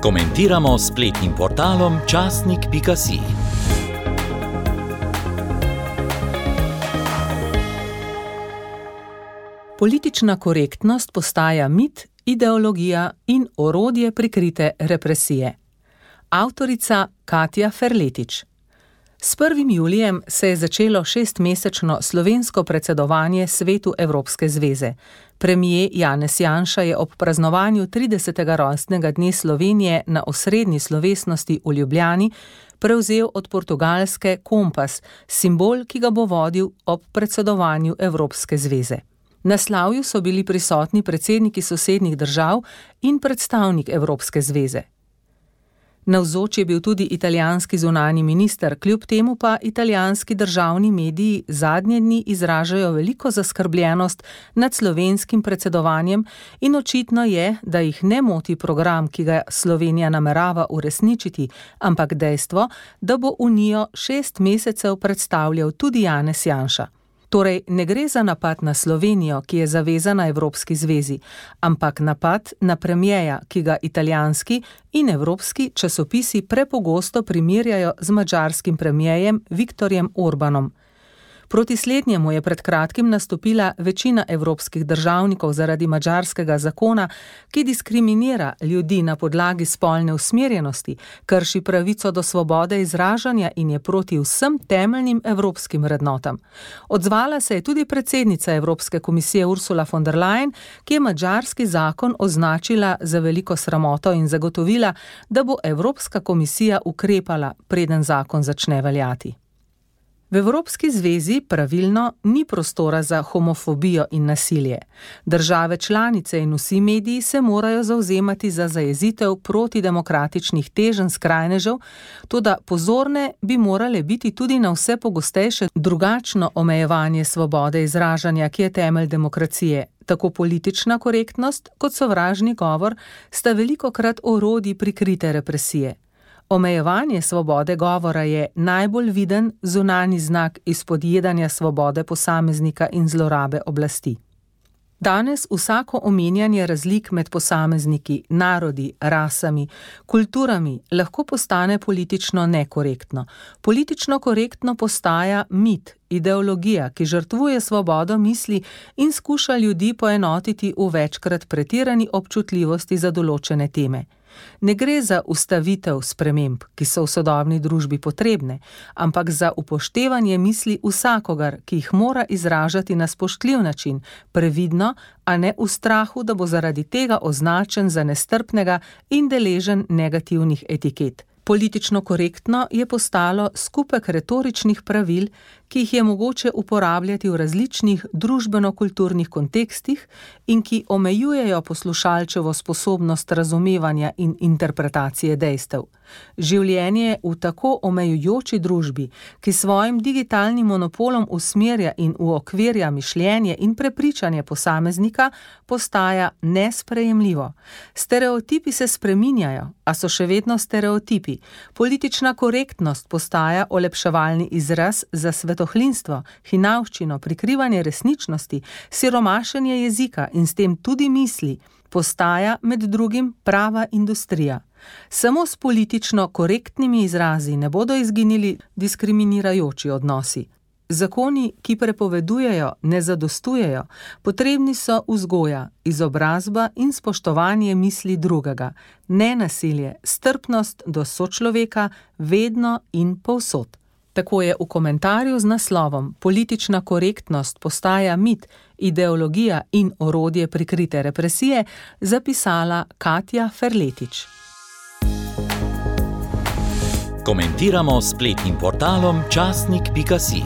Komentiramo s spletnim portalom časnik.si. Politična korektnost postaja mit, ideologija in orodje prikrite represije. Avtorica Katja Ferletič. S 1. julijem se je začelo 6-mesečno slovensko predsedovanje Svetu Evropske zveze. Premijer Janez Janša je ob praznovanju 30. rojstnega dne Slovenije na osrednji slovesnosti v Ljubljani prevzel od Portugalske kompas, simbol, ki ga bo vodil ob predsedovanju Evropske zveze. Na slavju so bili prisotni predsedniki sosednjih držav in predstavnik Evropske zveze. Navzoč je bil tudi italijanski zunanji minister, kljub temu pa italijanski državni mediji zadnje dni izražajo veliko zaskrbljenost nad slovenskim predsedovanjem in očitno je, da jih ne moti program, ki ga Slovenija namerava uresničiti, ampak dejstvo, da bo Unijo 6 mesecev predstavljal tudi Janez Janša. Torej, ne gre za napad na Slovenijo, ki je zavezana Evropski zvezi, ampak napad na premijeja, ki ga italijanski in evropski časopisi prepogosto primerjajo z madžarskim premijejem Viktorjem Orbanom. Proti slednjemu je pred kratkim nastopila večina evropskih državnikov zaradi madžarskega zakona, ki diskriminira ljudi na podlagi spolne usmerjenosti, krši pravico do svobode izražanja in je proti vsem temeljnim evropskim vrednotam. Odzvala se je tudi predsednica Evropske komisije Ursula von der Leyen, ki je madžarski zakon označila za veliko sramoto in zagotovila, da bo Evropska komisija ukrepala, preden zakon začne veljati. V Evropski zvezi pravilno ni prostora za homofobijo in nasilje. Države članice in vsi mediji se morajo zavzemati za zajezitev protidemokratičnih teženj skrajnežev, toda pozorne bi morale biti tudi na vse pogostejše drugačno omejevanje svobode izražanja, ki je temelj demokracije. Tako politična korektnost kot sovražni govor sta velikokrat orodji prikrite represije. Omejevanje svobode govora je najbolj viden zunanji znak izpodjedanja svobode posameznika in zlorabe oblasti. Danes vsako omenjanje razlik med posamezniki, narodi, rasami, kulturami lahko postane politično nekorektno. Politično korektno postaja mit, ideologija, ki žrtvuje svobodo misli in skuša ljudi poenotiti v večkrat pretirani občutljivosti za določene teme. Ne gre za ustavitev sprememb, ki so v sodobni družbi potrebne, ampak za upoštevanje misli vsakogar, ki jih mora izražati na spoštljiv način, previdno, a ne v strahu, da bo zaradi tega označen za nestrpnega in deležen negativnih etiket. Politično korektno je postalo skupek retoričnih pravil, ki jih je mogoče uporabljati v različnih družbeno-kulturnih kontekstih in ki omejujejo poslušalčevo sposobnost razumevanja in interpretacije dejstev. Življenje v tako omejujoči družbi, ki svojim digitalnim monopolom usmerja in uokvirja mišljenje in prepričanje posameznika, postaja nesprejemljivo. Stereotipi se spreminjajo, a so še vedno stereotipi. Politična korektnost postaja olepševalni izraz za svetohlinstvo, hinavščino, prikrivanje resničnosti, siromašenje jezika in s tem tudi misli, postaja med drugim prava industrija. Samo s politično korektnimi izrazi ne bodo izginili diskriminirajoči odnosi. Zakoni, ki prepovedujejo, ne zadostujejo, potrebni so vzgoja, izobrazba in spoštovanje misli drugega, ne nasilje, strpnost do sočloveka, vedno in povsod. Tako je v komentarju z naslovom Politična korektnost postaja mit, ideologija in orodje prikrite represije zapisala Katja Ferletič. Komentiramo s spletnim portalom časnik.si.